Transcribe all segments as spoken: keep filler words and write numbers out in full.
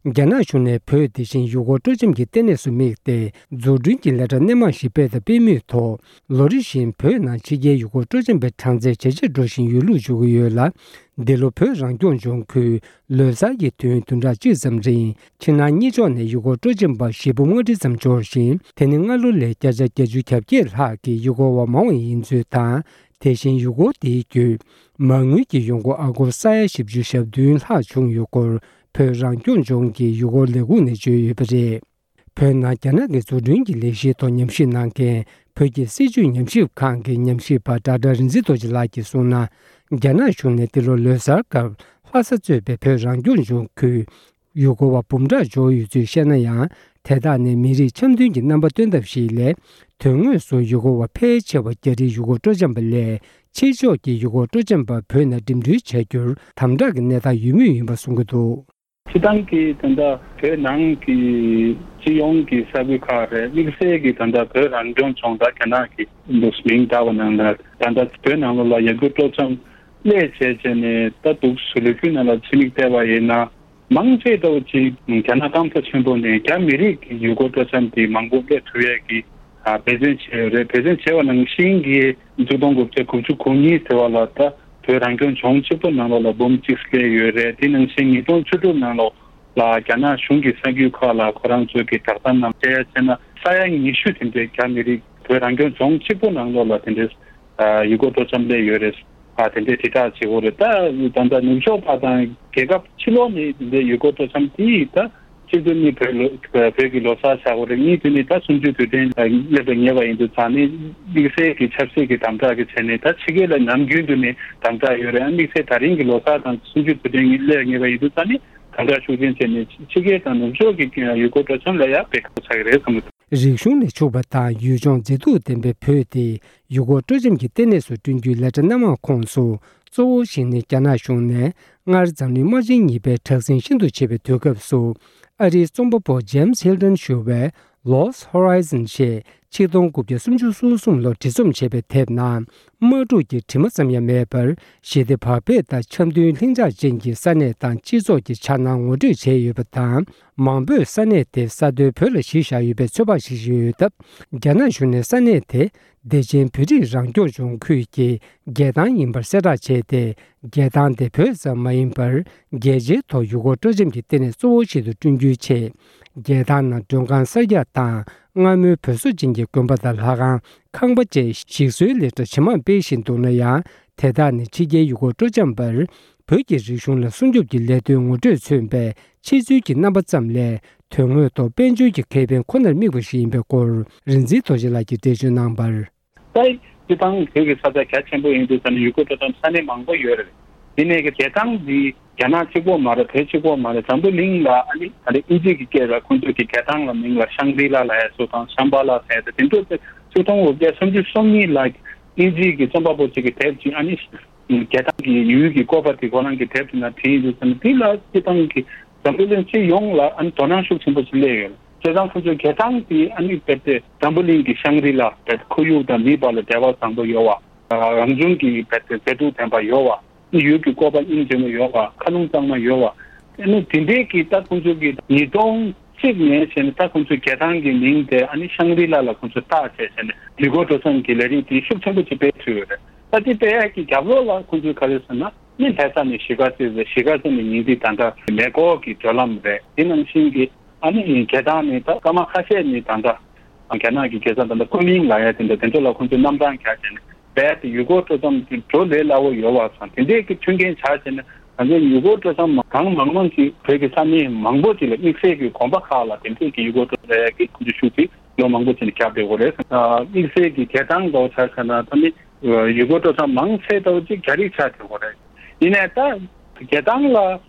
རྒྱ་ནག་གཞུང་ནས་བོད་དེ་བཞིན་ཡུལ་སྐོར་སྤྲོ་འཆམ་གྱི་ལྟེ་གནས་སུ་དམིགས་ཏེ། འཛུགས་སྐྲུན་གྱི་ལས་གྲྭ་སྣེ་མང་ཞིག་སྤེལ་དང་སྤེལ་མུས་ཐོག་ལོ་རེ་བཞིན་བོད་ནང་ཕྱི་རྒྱལ་ཡུལ་སྐོར་སྤྲོ་འཆམ་པའི་གྲངས་ཚད་ཇེ་ཆེར་འགྲོ་བཞིན་ཡོད་ལུགས་བརྗོད་ཀྱི་ཡོད་ལ། འདི་ལོ་བོད་རང་སྐྱོང་ལྗོངས་ཁུལ་ལོ་གསར་གྱི་དུས་ཡུན་བདུན་ཕྲག་གཅིག་ཙམ་རིང་ཕྱི་ནང་གཉིས་ཕྱོགས་ནས་ཡུལ་སྐོར་སྤྲོ་འཆམ་པ་བཞི་འབུམ་ལྔ་ཁྲི་ཙམ་འབྱོར་ཞིང་། དེ་ནི་སྔ་ལོ་ལས་བརྒྱ་ཆ་བརྒྱད་ཅུ་གྱ་བརྒྱད་ལྷག་གི་ཡུལ་སྐོར་བ་མང་བ་ཡིན་ཚུལ་དང་། དེ་བཞིན་ཡུལ་སྐོར་དེའི་བརྒྱུད་མ་དངུལ་གྱི་ཡོང་སྒོ་ཨ་སྒོར་ས་ཡ་བཞི་བཅུ་ཞེ་བདུན་ལྷག་བྱུང་ཡོད་སྐོར་བོད་རང་སྐྱོང་ལྗོངས་ཀྱི་ཡུལ་སྐོར་ལས་ཁུངས་ནས་བརྗོད་ཡོད་པ་རེད། བོད་ནང་རྒྱ་ནག་གི་འཛུགས་སྐྲུན་གྱི་ལས་གཞིའི་ཐོག་ཉམས་ཞིབ་གནང་མཁན་བོད་ཀྱི་སྲིད་བྱུས་ཉམས་ཞིབ་ཁང་གི་ཉམས་ཞིབ་པ་ཌོག་ཊར་རིག་འཛིན་རྡོ་རྗེ་ལགས་ཀྱིས་གསུངས་ན། རྒྱ་ནག་གཞུང་ནས་འདི་ལོ་ལོ་གསར་སྐབས་ལྷ་ས་གཙོས་པའི་བོད་རང་སྐྱོང་ལྗོངས་ཁུལ་ཡུལ་སྐོར་བ་འབུམ་ཕྲག་འབྱོར་ཡོད་ཚུལ་བཤད་ན་ཡང་། དེ་དག་ནི་མི་རིགས་འཆམ་མཐུན་གྱི་རྣམ་པ་སྟོན་ཐབས་ཤིག་ལས། དོན་དངོས་སུ་ཡུལ་སྐོར་བ་ཕལ་ཆེ་བ་རྒྱ་རིགས་ཡུལ་སྐོར་སྤྲོ་འཆམ་པ་ལས། ཕྱི་ཕྱོགས་ཀྱི་ཡུལ་སྐོར་སྤྲོ་འཆམ་པ་བོད་ནང་འགྲིམ་འགྲུལ་བྱ་རྒྱུར་དམ་དྲག་གི་གནས་སྟངས་ཡོད་མུས་ཡིན་པ་གསུང་གི་འདུག་སྤྱིར་བཏང་གི་ད་ལྟ་བོད་ནང་གི་སྤྱི་ཡོངས་ཀྱི་ས་ཁུལ་ཁག་རེད། དམིགས་བསལ་གྱི་ད་ལྟ་བོད་རང་སྐྱོང་ལྗོངས་དང་རྒྱ་ནག་གི་འདུག་མིང་བཏགས་པ་ནང་ལ་ད་ལྟ་བོད་ནང་ལོགས་ལ་ཡུལ་སྐོར་སྤྲོ་འཆམ་སླེབས་བྱས་བྱས་ནས་ད་འདུག་སུ་ལོ་རྒྱུས་ནང་ལ་ཕྱི་མིག་བལྟས་པ་ཡིན་ན། མང་ཆེ་ལྟ་བུ་ཅིག་རྒྱ་ནག་སྐམ་ས་ཆེན་པོ་ནས་རྒྱ་མི་རིགས་ཀྱི་ཡུལ་སྐོར་སྤྲོ་འཆམ་དེ་མང་པོ་སླེབས་ཐུབ་ཡས་ཀྱི་ཨ་འབད་བརྩོན་བྱས་ཡོད་རེད། འབད་བརྩོན་བྱས་པ་ནང་བཞིན་གྱི་ཆིག་སྟོང་དགུ་བརྒྱ་དགུ་བཅུ་གོ་གཉིས་ཟེར་བ་ལ་ད་བོད་རང་སྐྱོང་ལྗོངས་གཅིག་པོ་ནང་ལོགས་ལ་འབུམ་གཅིག་སླེབས་ཡོད་རེད། དེ་ནང་བཞིན་ཉིས་སྟོང་བཅུ་དྲུག་ནང་ལོགས་ལ་རྒྱ་ནག་གཞུང་གི་གསར་འགྱུར་ཁག་ལ་ཁོ་རང་ཚོའི་གི་བསྒྲགས་གཏམ་ནང་བཤད་ཡ་བྱས་ན་ས་ཡ་ཉི་ཤུ་དེ་འདྲའི་རྒྱ་མི་རིགས་བོད་རང་སྐྱོང་ལྗོངས་གཅིག་པོ་ནང་ལོགས་ལ་དེ་འདྲའི་ཨ་ཡུལ་སྐོར་སྤྲོ་འཆམ་སླེབས་ཡོད་རེད། ཨ་དེ་འདྲའི་དྲིལ་བསྒྲགས་བྱེད་དགོས་རེད། ད་ད་ལྟ་ནུབ་ཕྱོགས་པ་དང་རྒྱལ་ཁབ་ཕྱི་ལོགས་ནས་དེ་འདྲའི་ཡུལ་སྐོར་སྤྲོ་འཆམ་དེ་ད་གཅིག་ཏུ་ནི་བོད་ལོ་བོད་ཀྱི་ལོ་གསར་བྱ་དགོས་རེད། གཉིས་དུ་ནི་ད་གསུམ་བཅུའི་དུས་དྲན་སླེབས་ལ་ཉེ་བ་ཡིན་དུས་ཙང་ནི་དམིགས་བསལ་གྱི་ཆབ་སྲིད་ཀྱི་དམ་དྲག་གི་ཆ་ནས་ད་ཕྱི་རྒྱལ་ལ་ནམ་རྒྱུན་དུ་ནི་དམ་དྲག་ཡོད་རེད། ཨ་དམིགས་བསལ་ད་རིང་གི་ལོ་གསར་དང་གསུམ་བཅུའི་དུས་དྲན་གྱི་སླེབས་ལ་ཉེ་བ་ཡིན་དུས་ཙང་ནི་དམ་དྲག་ཤུགས་ཆེན་བྱས་ནས་ཕྱི་རྒྱལ་དང་ནུབ་ཕྱོགས་ཀྱི་ཡུལ་སྐོར་སྤྲོ་འཆམ་ལ་ཡང་དཔེ་ཁག་པོ་ཆགས་ཀྱི་རེད་བསམ་གྱི་འདུག་རིག་གཞུང་ལས་ཕྱུག་པ་དང་ཡུལ་ལྗོངས་མཛེས་སྡུག་ལྡན་པའི་བོད་དེ་ཡུལ་སྐོར་སྤྲོ་འཆམ་གྱི་ལྟེ་གནས་སུ་བསྐྲུན་རྒྱུའི་ལས་གྲྭ་སྣ་མང་ཁོངས་སུ་གཙོ་བོ་ཞིག་ནི་རྒྱ་ནག་གཞུང་ནས་སྔར་འཛམ་གླིང་དམག་ཆེན་གཉིས་པའི་དྲག་ཟིང་ཤིན་ཏུ་ཆེ་བའི་དུས་སྐབས་སུ་ཨ་རིའི་རྩོམ་པ་པོ་ཇེམ་སི་ཧིལ་ཏོན་ཞུ་བའི་Lost Horizon ཞེས་ཆིག་སྟོང་དགུ་བརྒྱ་སུམ་ཅུ་སོ་གསུམ་ལོར་བྲིས་རྩོམ་བྱས་པའི་དེབ་ནང་དམག་འཁྲུག་གི་དྲི་མ་ཙམ་ཡང་མེད་པར་ཞི་བདེ་བག་ཕེབས་དང་འཆམ་མཐུན་ལྷིང་འཇགས་ཅན་གྱི་ས་གནས་དང་སྤྱི་ཚོགས་ཀྱི་འཆར་སྣང་ངོ་སྤྲོད་བྱས་ཡོད་པ་དང་། མང་པོས་ས་གནས་དེ་ས་མཐོའི་བོད་ལ་གཞི་བཞག་ཡོད་པའི་ཚོད་དཔག་བྱེད་བཞིན་ཡོད་སྟབས། རྒྱ་ནག་གཞུང་ནས་ས་གནས་དེ་བདེ་ཆེན་བོད་རིགས་རང་སྐྱོང་ལྗོངས་ཁུལ་གྱི་རྒྱལ་ཐང་ཡིན་པར་གསལ་བསྒྲགས་བྱས་ཏེ། རྒྱལ་ཐང་དེ་བོད་ཙམ་མ་ཡིན་པར་རྒྱལ་སྤྱིའི་ཐོག་ཡུལ་སྐོར་སྤྲོ་འཆམ་གྱི་ལྟེ་གནས་གཙོ་བོ་ཞིག་ཏུ་བསྐྲུན་རྒྱུའི་ཆེད། རྒྱལ་ཐང་ནང་མགྲོན་ཁང་གསར་རྒྱག་དང་སྔ་མོའི་བོད་བཟོ་ཅན་གྱི་དགོན་པ་དང་ལྷ་ཁང་། ཁང་པ་བཅས་ཞིག་གསོའི་ལས་གྲྭ་ཇེ་མང་སྤེལ་བཞིན་འདུག་ན་ཡང་། དེ་དག་ནི་ཕྱི་རྒྱལ་ཡུལ་སྐོར་སྤྲོ་འཆམ་པར་བོད་ཀྱི་རིག་གཞུང་ལ་སྲུང་སྐྱོབ་ཀྱི་ལས་དོན་ངོ་སྤྲོད་མཚོན་པའི་ཕྱི་ཚུལ་གྱི་རྣམ་པ་ཙམ་ལས། དོན་དངོས་ཐོག་དཔལ་འབྱོར་གྱི་ཁེ་ཕན་ཁོ་ནར་དམིགས་པ་ཞིག་ཡིན་པའི་སྐོར་རིག་འཛིན་རྡོ་རྗེ་ལགས་ཀྱིས་འགྲེལ་བརྗོད་གནང་བར། ད་སྤྱིར་བཏང་བོད་ཀྱི་ས་ཆ་རྒྱ་ཆེན་པོ་ཡིན་དུས་ཙང་ནས་ཡུལ་སྐོར་སྤྲོ་འཆམ་ས་གནས་མང་པོ་ཡོད་རེད། དེ་ནས་རྒྱལ་ཐང་འདི་རྒྱ་ནག་གཅིག་པོ་མ་རེད། བོད་གཅིག་པོ་མ་རེད། འཛམ་བུ་གླིང་ལ་ཨ་ནི་ད་ལྟ་དབྱིན་ཇི་གི་སྐད་ལ་ཁོང་ཚོས་ཀྱི་རྒྱལ་ཐང་ལ་མིང་ལ་ཤང་རི་ལ་ལབ་ཡ་སོགས་དང་ཤམ་བྷ་ལ་ཟེར་ཡ་དེ་དེ་ཚོ་ཆིག་སྟོང་དགུ་བརྒྱ་སུམ་ཅུ་སོ་གཉིས་ལ་དབྱིན་ཇི་གི་རྩོམ་པ་པོ་གཅིག་གི་དེབ་ཅིག་ཨ་ནི་རྒྱལ་ཐང་གི་ཡུལ་གྱི་བཀོད་པ་དེ་ཁོ་རང་གི་དེབ་དེ་ནང་བྲིས་ཡིན་དུས་ཙང་ནས་དེ་ལ་སྤྱིར་བཏང་གི་འཛམ་བུ་གླིང་སྤྱི་ཡོངས་ལ་ཨ་ནི་དོ་སྣང་ཤུགས་ཆེན་པོ་ཞིག་སླེབས་ཡོད། བྱས་ཙང་ཁོ་ཚོའི་རྒྱལ་ཐང་དེ་ཨ་ནི་རྦད་དེ་འཛམ་བུ་གླིང་གི་ཤང་རི་ལ་རྦད་ཁོར་ཡུག་དང་མིའི་བར་ལ་འབྲེལ་བ་བཟང་པོ་ཡོད་པ། རང་བྱུང་གི་རྦད་དེ་མཛེས་སྡུག་ལྡན་པ་ཡོད་པ། ཡུལ་གྱི་བཀོད་པ་སྙིང་རྗེ་མོ་ཡོད་པ། མཁའ་རླུང་གཙང་མ་ཡོད་པ། ཨ་ནི་དེ་འདྲའི་གི་ད་ཁོ་ཚོ་གི་ཉིས་སྟོང་གཅིག་ནས་བྱས་ནས་ད་ཁོ་ཚོའི་རྒྱལ་ཐང་གི་མིང་དེ་ཨ་ནི་ཤང་རི་ལ་ལ་ཁོ་ཚོས་བཏགས་བྱས་བྱས་ནས་ཡུལ་སྐོར་སྤྲོ་འཆམ་གྱི་ལས་རིགས་དེ་ཤུགས་ཆེན་པོ་ཅིག་སྤེལ་ཐུབ་ཡོད་རེད། ད་དེ་སྤེལ་ཡག་གི་རྒྱབ་ལོགས་ལ་ཁོ་ཚོས་ག་རེ་ཟེར་ན། ནི་ལྷ་ས་ནས་གཞིས་ཀ་རྩེ་ཟེར། གཞིས་ཀ་རྩེ་ནས་ཉིང་ཁྲི། ད་ལྟ་མེ་འཁོར་གྱི་བགྲོད་ལམ་རེད། དེ་ནང་བཞིན་གྱི་ཨ་ནི་རྒྱལ་ཐང་ནས་ད་སྐར་མ་ཁ་ཤས་ནས་ད་ལྟ་རྒྱ་ནག་གི་རྒྱལ་ས་ད་ལྟ་ཀུན་མིང་ལབ་ཡ་དེ་འདྲ་དེ་ཚོ་ལ་ཁོང་ཚོས་གནམ་ཐང་རྒྱག་བྱས་ནས་རྦད་དེ་ཡུལ་སྐོར་སྤྲོ་འཆམ་དེ་འགྲོ་ལས་སླ་བོ་ཡོད་པ་དང་དེ་འདྲས་ཀྱི་མཐུན་རྐྱེན་ཆགས་བྱས་ནས་ང་ཚོའི་ཡུལ་སྐོར་སྤྲོ་འཆམ་གང་མང་མང་ཅིག་བོད་ཀྱི་ས་གནས་མང་པོ་ཅིག་ལ་དམིགས་བསལ་གྱི་དགོན་པ་ཁག་ལ་དེ་འདྲས་ཀྱི་ཡུལ་སྐོར་སྤྲོ་འཆམ་ལབ་ཡ་གི་ཁོང་ཚོས་ཤུགས་ཅིག་ལོ་མང་པོ་ཅིག་ནས་བརྒྱབ་བསྡད་ཡོད་རེད། དམིགས་བསལ་གྱི་རྒྱལ་ཐང་འདྲ་བོ་ཆ་བཞག་ན་ད་ནི་ཡུལ་སྐོར་སྤྲོ་འཆམ་མང་ཆེ་འདྲ་བོ་ཅིག་རྒྱ་རིགས་ཆགས་བསྡད་ཡོད་རེད། ཡིན་ནའི་ད་རྒྱལ་ཐང་ལ་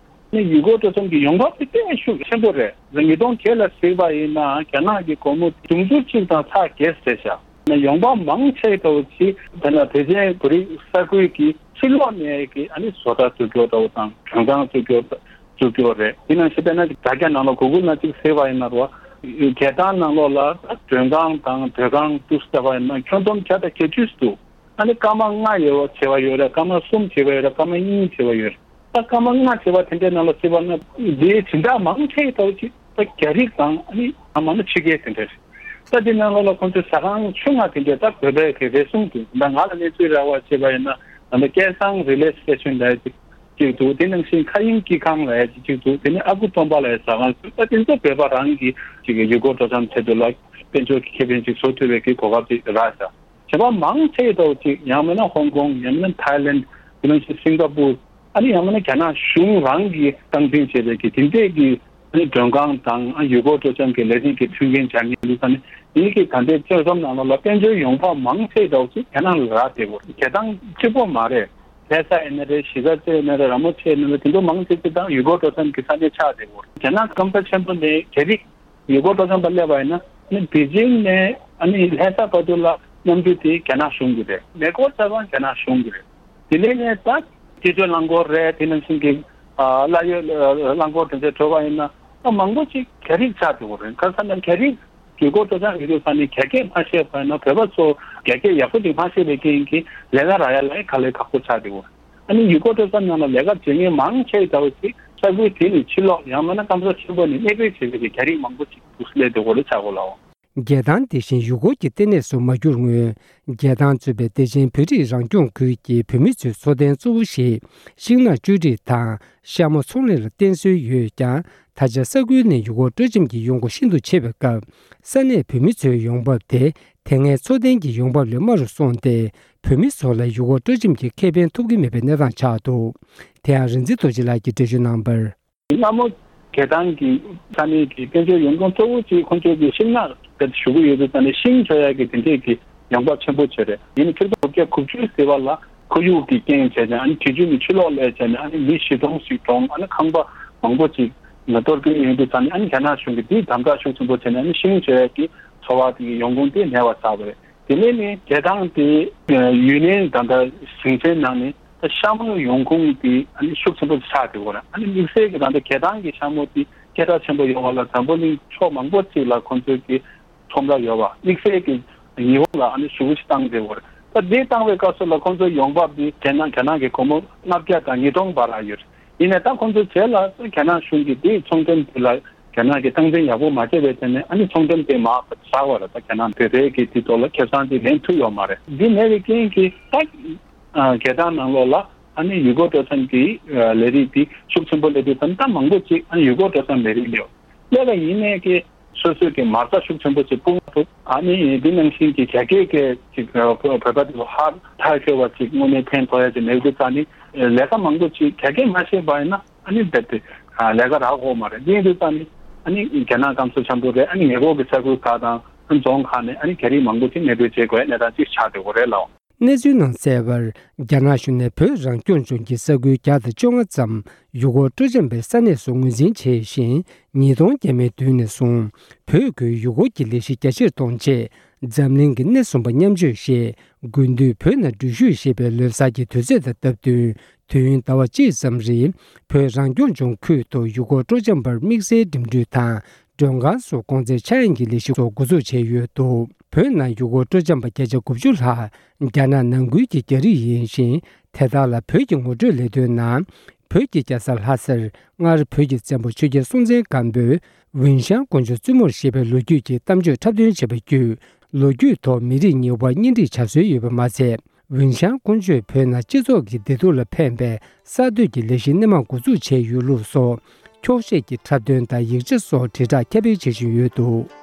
ནི་ཡུལ་སྐོར་སྤྲོ་འཆམ་གྱི་ཡོང་འབབ་དེ་དཔེ་ཤུགས་ཆེན་པོ་རེད། ཉིས་སྟོང་བརྒྱད་ལ་གཟིགས་པ་ཡིན་ན་རྒྱ་ནག་གི་སྒོར་མོ་དུང་ཕྱུར་གཅིག་དང་ཚེག་བརྒྱད་ཟེར་བཞག་ན་ཡོང་འབབ་མང་ཆེ་འདྲ་བོ་ཅིག་དེ་ན་བདེ་ཆེན་བོད་རིགས་ས་ཁུལ་གྱི་ཕྱི་ལོགས་ནས་ཀྱི་ཨ་ནི་བཟོ་གྲྭ་བཙུགས་རྒྱུ་འདྲ་བོ་དང་མགྲོན་ཁང་བཙུགས་རྒྱུ་བཙུགས་རྒྱུ་རེད། དེ་ནང་བཞིན་དཔེར་ན་དྲ་རྒྱ་ནང་ལ་གུ་གུལ་ནང་གཅིག་གཟིགས་པ་ཡིན་ན་རོ། རྒྱལ་ཐང་ནང་ལོགས་ལ་མགྲོན་ཁང་དང་སྡོད་ཁང་འདུག་ཟེར་བ་ཡིན་ན་ཁྱོན་བསྡོམས་བརྒྱ་དང་བརྒྱད་ཅུ་འདུག་ཨ་ནི་སྐར་མ་ལྔ་ཡོད་བྱས་པ་ཡོད་རེད། སྐར་མ་གསུམ་བྱས་པ་ཡོད་རེད། སྐར་མ་གཉིས་བྱས་པ་ཡོད་རེད། ད་སྐར་མ་ལྔ་བྱས་པ་དེ་འདྲའི་ནང་ལ་བརྩིས་པ་ན་འདིའི་སྦྱིན་བདག་མང་ཆེ་ལྟ་བུ་ཅིག་ད་རྒྱ་རིགས་དང་ཨ་ནི་ཨ་མ་ནི་ཕྱི་རྒྱལ་དེ་འདྲ་རེད། ད་འདི་ནང་ལོགས་ལ་ཁོང་ཚོའི་ཟ་ཁང་ཆུང་ང་དེ་འདྲའི་ད་བོད་པའི་གི་རེ་ཟུང་འདུག་ད་ང་ལ་གནས་ཚུལ་རག་པ་བྱས་པ་ཡིན་ན་ད་ལྟ་སྐལ་བཟང་རི་ལེ་སི་ཊེ་ཤན་ལབ་ཡ་ཅིག་ཅིག་འདུག་དེ་ནང་བཞིན་མཁའ་དབྱིངས་སྐྱིད་ཁང་ལབ་ཡ་ཅིག་ཅིག་འདུག་དེ་ནས་ཨ་ཁུ་སྟོན་པ་ལབ་ཡ་ཟ་ཁང་ཟེར་ད་དེ་ཚོ་བོད་པ་རང་གི་ཅིག་གི་ཡུལ་སྐོར་སྤྲོ་འཆམ་ཆེད་དུ་ལ་དཔལ་འབྱོར་གྱི་ཁེ་ཕན་ཅིག་བཟོ་ཐུབ་པའི་གི་གོ་སྐབས་ཅིག་རག་ཤག་བྱས་པ་མང་ཆེ་ལྟ་བུ་ཅིག་ཡང་མིན་ན་ཧོང་ཀོང་ཡང་མིན་ན་ཐའི་ལེན་དེ་ནང་བཞིན་སིང་ག་པུར་ཨ་ནི་ཡང་མིན་ན་རྒྱ་ནག་གཞུང་རང་གིས་སྟངས་འཛིན་བྱས་པའི་གི་དེ་འདྲས་ཀྱི་ཨ་ནི་མགྲོན་ཁང་དང་ཨ་ཡུལ་སྐོར་སྤྲོ་འཆམ་གྱི་ལས་རིགས་ཀྱི་མཐུན་རྐྱེན་སྦྱར་མཁན་འདུག་ས་ནི་ཡིན་གྱི་ད་ལྟའི་སྤྱོད་བཟང་ནང་ལོགས་ལ་དཔལ་འབྱོར་ཡོང་འབབ་མང་ཆེ་ལྟ་བུ་ཅིག་རྒྱ་ནག་ལ་རག་བསྡད་ཡོད་རེད། རྒྱལ་ཐང་གཅིག་པོ་མ་རེད། ལྷ་ས་ཡིན་ན་རེད། གཞིས་ཀ་རྩེ་ཡིན་ན་རེད། ར་མོ་ཆེ་ཡིན་ན་རེད། དེ་ཚོ་མང་ཆེ་ཆེ་དང་ཡུལ་སྐོར་སྤྲོ་འཆམ་གྱི་ས་གནས་ཆགས་བསྡད་ཡོད་རེད། རྒྱ་ནག་སྐམ་ས་ཆེན་པོ་ནས་རྒྱ་རིགས་ཡུལ་སྐོར་སྤྲོ་འཆམ་པ་སླེབས་པ་ཡིན་ན་ཨ་ནི་པེ་ཅིང་ནས་ཨ་ནི་ལྷ་ས་བར་དུ་ལ་གནམ་གྲུ་དེ་རྒྱ་ནག་གཞུང་གི་རེད། མེ་འཁོར་ཚ་བ་རྒྱ་ནག་གཞུང་གི་རེད། དེ་ནས་ནས་ད་སྤྱི་སྤྱོད་རླངས་འཁོར་རེད། དེ་ནང་བཞིན་གྱི་ཨ་གླ་ཡོད་རླངས་འཁོར་དེ་ཚོ་འགྲོ་བ་ཡིན་ན་ཨ་མང་པོ་ཅིག་རྒྱ་རིགས་ཆགས་འགྲོ་གི་རེད། ཁ་སང་ནས་རྒྱ་རིགས་ཡུལ་སྐོར་སྤྲོ་འཆམ་ཡོད་དུས་ས་ནས་རྒྱ་སྐད་མ་ཤེས་པ་ཡིན་ན་བོད་པ་ཚོ་རྒྱ་སྐད་ཡག་པོ་ཅིག་མ་ཤེས་པའི་རྐྱེན་གྱིས་ལས་ཀ་རག་ཡ་ལ་ཡང་དཀའ་ལས་ཁག་པོ་ཆགས་འགྲོ་གི་རེད། ཨ་ནི་ཡུལ་སྐོར་སྤྲོ་འཆམ་ནང་ལ་ལས་ཀ་བྱེད་མཁན་མང་ཆེ་ལྟ་བུ་ཞིག་ས་ཁུལ་དེ་ནས་ཕྱི་ལོགས་ཡང་མིན་ན་སྐམ་ས་ཆེན་པོ་ནས་གནས་སྤོས་བྱེད་མཁན་གྱི་རྒྱ་རིགས་མང་པོ་ཞིག་འདུག་སླེབས་འགྲོ་གི་རེད་ཆགས་གོ་ལའོ། རྒྱལ་ཐང་དེ་བཞིན་ཡུལ་སྐོར་གྱི་ལྟེ་གནས་སུ་མ་གྱུར་སྔོན། རྒྱལ་ཐང་གཙོས་པའི་བདེ་ཆེན་བོད་རིགས་རང་སྐྱོང་ཁུལ་གྱི་བོད་མི་ཚོའི་འཚོ་རྟེན་གཙོ་བོ་ཞིག་ཤིང་ནགས་གཅོད་འབྲེག་དང་ཤ་མོ་ཚོང་ལས་ལ་བརྟེན་སྲོལ་ཡོད་ཀྱང་། ད་ཆ་ས་ཁུལ་ནས་ཡུལ་སྐོར་སྤྲོ་འཆམ་གྱི་ཡོང་སྒོ་ཤིན་ཏུ་ཆེ་བའི་སྐབས། ས་གནས་བོད་མི་ཚོའི་ཡོང་འབབ་དེ་དེ་སྔའི་འཚོ་རྟེན་གྱི་ཡོང་འབབ་ལས་དམའ་རུ་སོང་སྟེ། བོད་མི་ཚོ་ལ་ཡུལ་སྐོར་སྤྲོ་འཆམ་གྱི་ཁེ་ཕན་ཐོབ་ཀྱི་མེད་པའི་གནས་སྟངས་ཆགས་འདུག་དེ་ཡང་རིག་འཛིན་རྡོ་རྗེ་ལགས་ཀྱིས་འགྲེལ་བརྗོད་གནང་བར། སྔ་མོ་རྒྱལ་ཐང་གི་ས་གནས་ཀྱི་དཔལ་འབྱོར་ཡོང་ཁུངས་གཙོ་བོ་གཅིག་ཁོང་ཚོ་གི་ཤིང་ནགས་དེ་བཞུགས་ཀྱི་ཡོད་དུས་ཙང་ནས་ཤིང་བཟོ་ཡག་གི་དེ་འདྲས་ཀྱི་ཡོང་འབབ་ཆེན་པོ་བྱས་རེད། ཡིན་ནའི་ཆིག་སྟོང་དགུ་བརྒྱ་དགུ་བཅུ་ཟེར་བ་ལ་ཁོར་ཡུག་གི་རྐྱེན་བྱས་ནས་ཨ་ནི་དུས་རྒྱུན་ནས་ཆུ་ལོག་སླེབས་བྱས་ནས་ཨ་ནི་མི་བཞི་སྟོང་ཞིག་གྲོངས། ཨ་ནི་ཁང་པ་མང་པོ་ཅིག་གཏོར་སྐྱོན་ཡོང་དུས་ཙང་ནས་ཨ་ནི་རྒྱ་ནག་གཞུང་གིས་དེ་དམ་དྲག་ཤུགས་ཆེན་པོ་བྱས་ནས་ཨ་ནི་ཤིང་བཟོ་ཡག་གི་འཚོ་བ་དེ་གི་ཡོང་ཁུངས་དེ་མེད་པ་བཟོས་པ་རེད། དེ་ནས་ནི་རྒྱལ་ཐང་དེ་ཡུན་ནན་ད་ལྟ་ཞིང་ཆེན་ནང་ནས་ད་ཤ་མོའི་ཡོང་ཁུངས་དེ་ཨ་ནི་ཤུགས་ཆེན་པོ་ཆགས་ཡོད་རེད། ཨ་ནི་དམིགས་བསལ་གྱི་ད་ལྟ་རྒྱལ་ཐང་གི་ཤ་མོ་དེ་སྐད་གྲགས་ཆེན་པོ་ཡོང་བ་ལ་འཛམ་བུ་གླིང་ཕྱོགས་མང་པོ་ཅིག་ལ་ཁོང་ཚོའི་གི་ཁྲོམ་ར་ཡོད་པ། དམིགས་བསལ་གྱི་ཉི་ཧོང་ལ་ཨ་ནི་ཞེ་པོ་ཅིག་བཏང་ཡོད་རེད། ད་དེ་བཏང་བའི་སྐབས་སུ་ལ་ཁོང་ཚོའི་ཡོང་འབབ་དེ་རྒྱ་ནག་རྒྱ་ནག་གི་སྒོར་མོ་ལྔ་བརྒྱ་དང་ཉིས་སྟོང་བར་ལ་ཡོད་རེད། ཡིན་ནའི་ད་ཁོང་ཚོའི་རྗེས་ལ་རྒྱ་ནག་གཞུང་གིས་དེའི་ཚོང་འགྲེམས་དེ་ལ་རྒྱ་ནག་གིས་སྟངས་འཛིན་ཡག་པོ་མ་བྱས་པའི་ཐད་ནས་ཨ་ནི་ཚོང་འགྲེམས་དེ་མར་བཞག་པ་རེད། ད་རྒྱ་ནག་བོད་པའི་གི་དེ་ཐོག་ལ་ཁེ་བཟང་དེ་ལེན་ཐུབ་ཡོད་མ་རེད། འདི་མེད་པའི་རྐྱེན་གྱིས་ད་རྒྱལ་ཐང་ནང་ལོགས་ལ་ཨ་ནི་ཡུལ་སྐོར་སྤྲོ་འཆམ་གྱི་ལས་རིགས་དེ་ཤུགས་ཆེན་པོ་སླེབས་དུས་ཙམ་ད་མང་པོ་ཅིག་ཨ་ནི་ཡུལ་སྐོར་སྤྲོ་འཆམ་ལས་རིགས་སླེབས་སླེབས་པ་ཡིན་ནའི་གི་སོ་སོའི་གི་མ་རྩ་ཤུགས་ཆེན་པོ་ཅིག་སྤུངས་ཐུབ། ཨ་ནི་འདི་ནང་བཞིན་གྱི་རྒྱ་སྐད་ཀྱི་ཅིག་བོད་པ་དེ་ཚོ་ཧ་ཐག་ཆོད་པ་ཅིག་དངོས་གནས་ཕན་ཐོགས་ཡ་ཅིག་མེད་དུས་ཙང་ནི་ལས་ཀ་མང་པོ་ཅིག་རྒྱ་སྐད་མ་ཤེས་པ་ཡིན་ན་ཨ་ནི་རྦད་དེ་ལས་ཀ་རག་གི་མ་རེད། འདི་ཡིན་དུས་ཙང་ནི་ཨ་ནི་རྒྱ་ནག་སྐམ་ས་ཆེན་པོ་རེད། ཨ་ནི་ཉེ་འཁོར་གྱི་ས་ཁུལ་ཁག་དང་རྫོང་ཁག་ནས་ཨ་ནི་རྒྱ་རིགས་མང་པོ་ཅིག་གནས་སྤོས་བྱེད་དགོས་ཡ་གནས་སྟངས་ཅིག་ཆགས་བསྡད་ཡོད་རེད་ལགས། གནས་ཚུལ་ནང་གསལ་བར། རྒྱ་ནག་གཞུང་ནས་བོད་རང་སྐྱོང་ལྗོངས་ཀྱི་ས་ཁུལ་བརྒྱ་དང་བཅོ་ལྔ་ཙམ་ཡུལ་སྐོར་སྤྲོ་འཆམ་པའི་ས་གནས་སུ་ངོས་འཛིན་བྱས་ཤིང་། ཉིས་སྟོང་བརྒྱ་མའི་མདུན་ནས་བཟུང་བོད་ཁུལ་ཡུལ་སྐོར་གྱི་ལས་གཞི་རྒྱ་ཆེར་གཏོང་ཆེད། འཛམ་གླིང་གི་སྣེ་གསུམ་པ་མཉམ་སྤྱོད་ཞེས་དགུན་དུས་བོད་ནང་འགྲུལ་བཞུད་ཞེས་པའི་ལོ་གསར་གྱི་དུས་ཚོད་དང་སྟབས་བསྟུན། དུས་ཡུན་ཟླ་བ་གཅིག་ཙམ་རིང་བོད་རང་སྐྱོང་ལྗོངས་ཁུལ་དུ་ཡུལ་སྐོར་སྤྲོ་འཆམ་པར་དམིགས་བསལ་འགྲིམ་འགྲུལ་དང་མགྲོན་ཁང་སོགས་གོང་ཚད་ཆག་ཡང་གི་ལས་གཞི་སོགས་འགོ་འཛུགས་བྱས་ཡོད་འདུག་བོད་ནང་ཡུལ་སྐོར་སྤྲོ་འཆམ་པ་བརྒྱ་ཆ་དགུ་བཅུ་ལྷག་རྒྱ་ནག་ནང་ཁུལ་གྱི་རྒྱ་རིགས་ཡིན་ཞིང་། དེ་དག་ལ་བོད་ཀྱི་ངོ་སྤྲོད་ལས་དོན་ནང་། བོད་ཀྱི་རྒྱལ་ས་ལྷ་སར་སྔར་བོད་ཀྱི་བཙན་པོ་ཆོས་རྒྱལ་སྲོང་བཙན་སྒམ་པོས་ཝུན་ཤང་ཀོང་ཇོ་བཙུན་མོར་བཞེས་པའི་ལོ་རྒྱུས་ཀྱི་གཏམ་བརྗོད་འཁྲབ་སྟོན་བྱས་པ་བརྒྱུད། ལོ་རྒྱུས་ཐོག་མི་རིགས་གཉིས་དབར་གཉེན་སྒྲིག་བྱ་སྲོལ་ཡོད་པ་མ་ཟད། ཝུན་ཤང་ཀོང་ཇོས་བོད་ནང་སྤྱི་ཚོགས་ཀྱི་བདེ་སྡུག་ལ་ཕན་པའི་གསར་གཏོད་ཀྱི་ལས་གཞི་སྣེ་མང་འགོ་འཛུགས་བྱས་ཡོད་ལུགས་སོགས། འཁྱོག་བཤད་ཀྱི་འཁྲབ་སྟོན་དང་ཡིག་ཆ་སོགས་དྲིལ་བསྒྲགས་ཁྱབ་སྤེལ་བྱེད་བཞིན་ཡོད་འདུག